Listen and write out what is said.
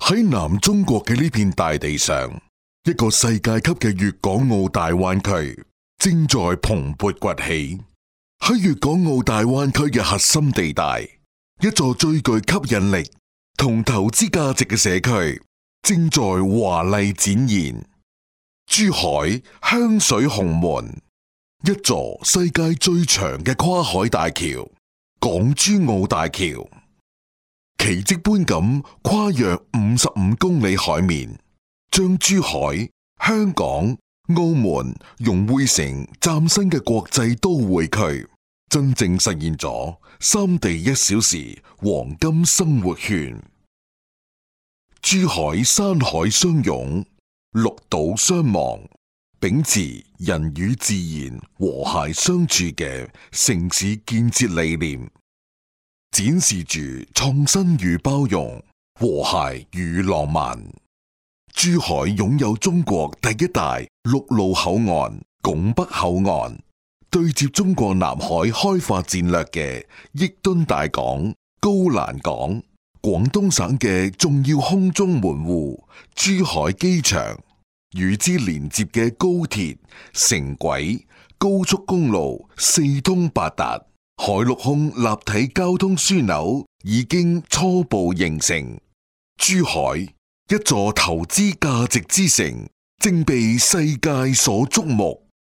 喺南中國嘅呢片大地上，一個世界級嘅粵港澳大灣區正在蓬勃崛起。喺粵港澳大灣區嘅核心地帶，一座最具吸引力同投資價值嘅社區正在華麗展現。珠海香水紅門，一座世界最長嘅跨海大橋——港珠澳大橋，奇蹟般咁跨越55公里海面，將珠海、香港、澳門融匯成嶄新嘅國際都會區，真正實現咗三地1小時黃金生活圈。珠海山海相擁，綠島相望，秉持人與自然和諧相處嘅城市建設理念，展示住創新與包容、和諧與浪漫。珠海擁有中國第一大陸路口岸拱北口岸，對接中國南海開發戰略嘅億噸大港高欄港，廣東省嘅重要空中門戶珠海機場，與之連接嘅高鐵、城軌、高速公路四通八達，海陸空立體交通樞紐已經初步形成。珠海，一座投資價值之城，正被世界所矚目。